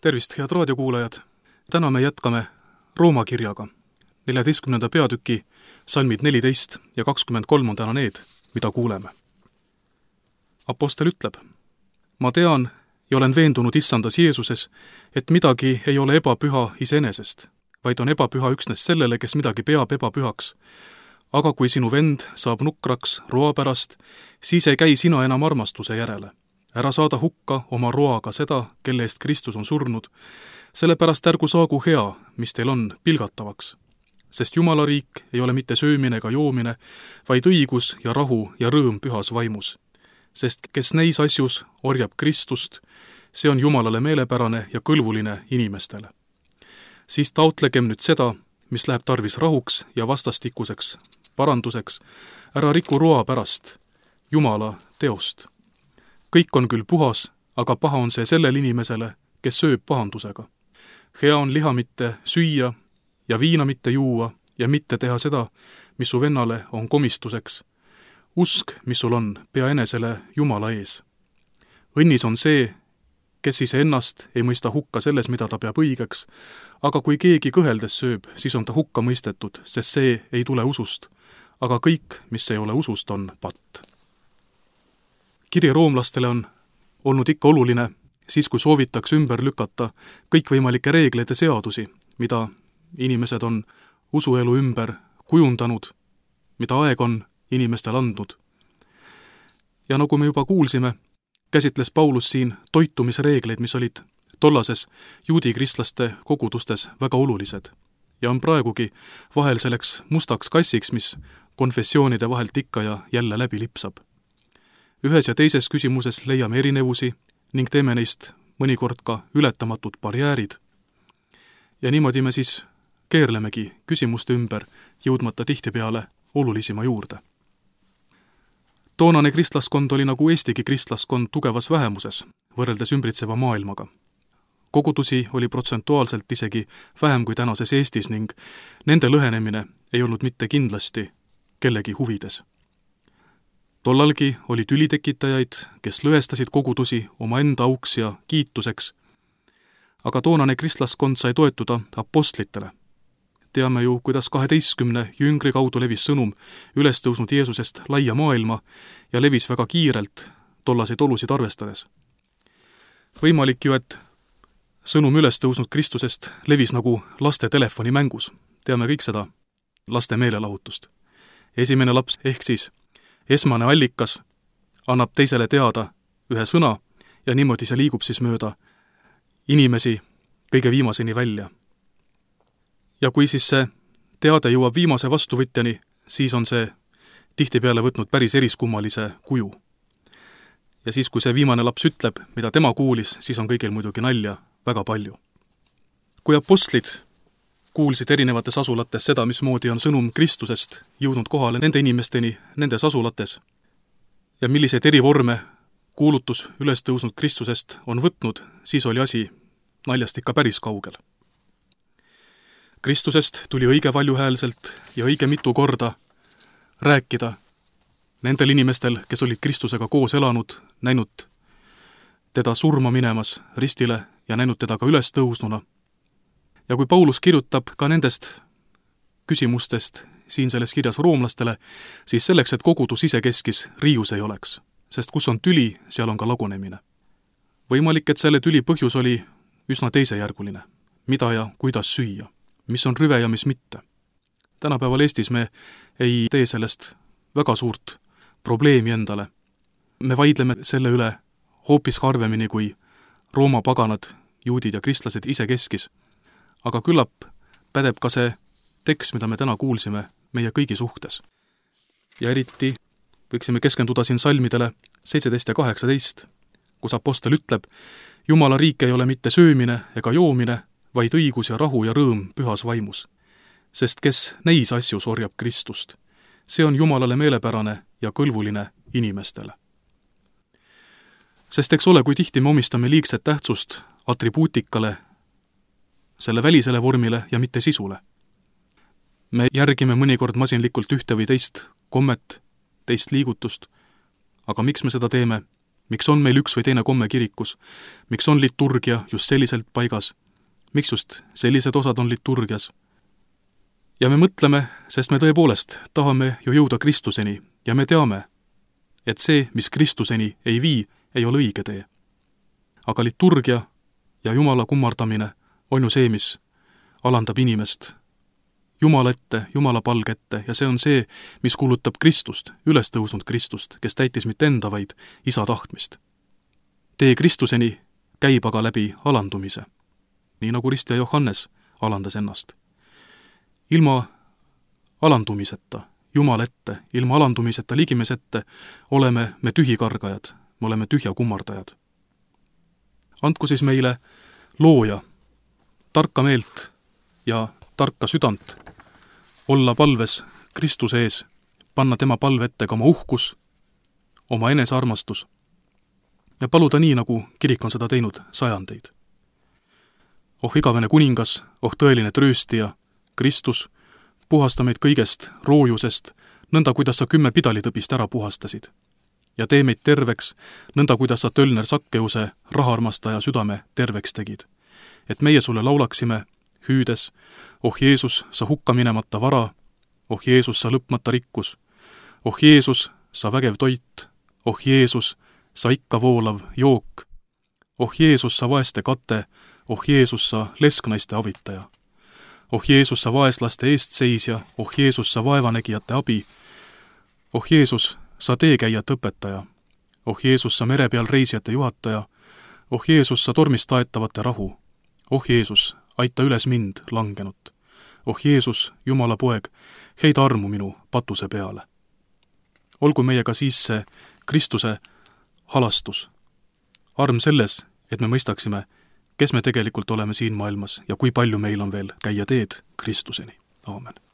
Tervist, head raadiokuulajad! Täna me jätkame Rooma kirjaga. 14. peatüki salmid 14 ja 23 on täna need, mida kuuleme. Apostel ütleb: Ma tean ja olen veendunud Issandas Jeesuses, et midagi ei ole ebapüha iseenesest, vaid on ebapüha üksnes sellele, kes midagi peab ebapühaks. Aga kui sinu vend saab nukraks roa pärast, siis ei käi sina enam armastuse järele. Ära saada hukka oma roaga seda, kelle eest Kristus on surnud, sellepärast ärgu saagu hea, mis teil on, pilgatavaks. Sest Jumala riik ei ole mitte söömine ega joomine, vaid õigus ja rahu ja rõõm pühas vaimus. Sest kes neis asjus orjab Kristust, see on Jumalale meelepärane ja kõlvuline inimestele. Siis taotlegem nüüd seda, mis läheb tarvis rahuks ja vastastikuseks paranduseks, ära riku roa pärast, Jumala teost. Kõik on küll puhas, aga paha on see sellel inimesele, kes sööb pahandusega. Hea on liha mitte süüa ja viina mitte juua ja mitte teha seda, mis su vennale on komistuseks. Usk, mis sul on, pea enesele Jumala ees. Õnnis on see, kes iseennast ei mõista hukka selles, mida ta peab õigeks, aga kui keegi kõheldes sööb, siis on ta hukka mõistetud, sest see ei tule usust. Aga kõik, mis ei ole usust, on patt. Kiri roomlastele on olnud ikka oluline, siis kui soovitakse ümber lükata kõikvõimalikke reegleid ja seadusi, mida inimesed on usuelu ümber kujundanud, mida aeg on inimestel andnud. Ja nagu me juba kuulsime, käsitles Paulus siin toitumisreegleid, mis olid tollases juudi kristlaste kogudustes väga olulised ja on praegugi vahel selleks mustaks kassiks, mis konfessioonide vahelt ikka ja jälle läbi lipsab. Ühes ja teises küsimuses leiame erinevusi ning teeme neist mõnikord ka ületamatud barjäärid. Ja niimoodi me siis keerlemegi küsimuste ümber, jõudmata tihtipeale olulisima juurde. Toonane kristlaskond oli nagu Eestigi kristlaskond tugevas vähemuses, võrreldes ümbritseva maailmaga. Kogudusi oli protsentuaalselt isegi vähem kui tänases Eestis ning nende lõhenemine ei olnud mitte kindlasti kellegi huvides. Tollalgi oli tülitekitajaid, kes lõhestasid kogudusi oma enda auks ja kiituseks, aga toonane kristlaskond sai toetuda apostlitele. Teame ju, kuidas 12 jüngri kaudu levis sõnum üles tõusnud Jeesusest laia maailma ja levis väga kiirelt tollaseid olusid arvestades. Võimalik ju, et sõnum üles tõusnud Kristusest levis nagu laste telefonimängus. Teame kõik seda laste meelelahutust. Esimene laps ehk siis esmane allikas annab teisele teada ühe sõna ja niimoodi see liigub siis mööda inimesi kõige viimaseni välja. Ja kui siis see teade jõuab viimase vastuvõtjani, siis on see tihtipeale võtnud päris eriskummalise kuju. Ja siis, kui see viimane laps ütleb, mida tema kuulis, siis on kõigil muidugi nalja väga palju. Kui apostlid kuulsid erinevates asulates seda, mismoodi on sõnum Kristusest jõudnud kohale nende inimesteni nendes asulates ja milliseid erivorme kuulutus üles tõusnud Kristusest on võtnud, siis oli asi naljast ikka päris kaugel. Kristusest tuli õige valjuhäälselt ja õige mitu korda rääkida nendel inimestel, kes olid Kristusega koos elanud, näinud teda surma minemas ristile ja näinud teda ka üles tõusnuna. Ja kui Paulus kirjutab ka nendest küsimustest siin selles kirjas roomlastele, siis selleks, et kogudus isekeskis riius ei oleks, sest kus on tüli, seal on ka lagunemine. Võimalik, et selle tüli põhjus oli üsna teisejärguline, mida ja kuidas süüa, mis on rüve ja mis mitte. Tänapäeval Eestis me ei tee sellest väga suurt probleemi endale. Me vaidleme selle üle hoopis harvemini kui Rooma paganad, juudid ja kristlased isekeskis. Aga küllap pädeb ka see tekst, mida me täna kuulsime meie kõigi suhtes. Ja eriti võiksime keskenduda siin salmidele 17 ja 18, kus apostel ütleb: Jumala riik ei ole mitte söömine ega joomine, vaid õigus ja rahu ja rõõm pühas vaimus. Sest kes neis asjus orjab Kristust, see on Jumalale meelepärane ja kõlvuline inimestele. Sest eks ole, kui tihti me omistame liigset tähtsust atribuutikale, selle välisele vormile ja mitte sisule. Me järgime mõnikord masinlikult ühte või teist kommet, teist liigutust, aga miks me seda teeme? miks on meil üks või teine komme kirikus, miks on liturgia just selliselt paigas, miks just sellised osad on liturgias. Ja me mõtleme, sest me tõepoolest tahame ju jõuda Kristuseni ja me teame, et see, mis Kristuseni ei vii, ei ole õige tee. Aga liturgia ja Jumala kummardamine on ju see, mis alandab inimest Jumala ette, Jumala palge ette ja see on see, mis kuulutab Kristust, üles tõusnud Kristust, kes täitis mitte enda, vaid Isa tahtmist. Tee Kristuseni käib aga läbi alandumise, nii nagu ristja Johannes alandas ennast. Ilma alandumiseta, Jumala ette, ilma alandumiseta ligimes ette oleme me tühikargajad, me oleme tühja kummardajad. Andku siis meile looja, tarka meelt ja tarka südant, olla palves Kristuse ees, panna tema palve ette ka oma uhkus, oma enesearmastus ja paluda nii, nagu kirik on seda teinud sajandeid. Oh igavene kuningas, oh tõeline trööstija, Kristus, puhasta meid kõigest roojusest, nõnda kuidas sa 10 pidalitõbist ära puhastasid. Ja tee meid terveks, nõnda kuidas sa Tölner Sakkeuse rahaarmastaja südame terveks tegid. Et meie sulle laulaksime, hüüdes, oh Jeesus, sa hukka minemata vara, oh Jeesus, sa lõpmata rikkus, oh Jeesus, sa vägev toit, oh Jeesus, sa ikka voolav jook, oh Jeesus, sa vaeste kate, oh Jeesus, sa lesknaiste avitaja, oh Jeesus, sa vaeslaste eestseisja, oh Jeesus, sa vaevanägijate abi, oh Jeesus, sa teekäijate õpetaja, oh Jeesus, sa mere peal reisijate juhataja, oh Jeesus, sa tormist taetavate rahu, oh Jeesus, aita üles mind, langenut. Oh Jeesus, Jumala poeg, heida armu minu patuse peale. Olgu meiega siis see Kristuse halastus. Arm selles, et me mõistaksime, kes me tegelikult oleme siin maailmas ja kui palju meil on veel käia teed Kristuseni. Aamen.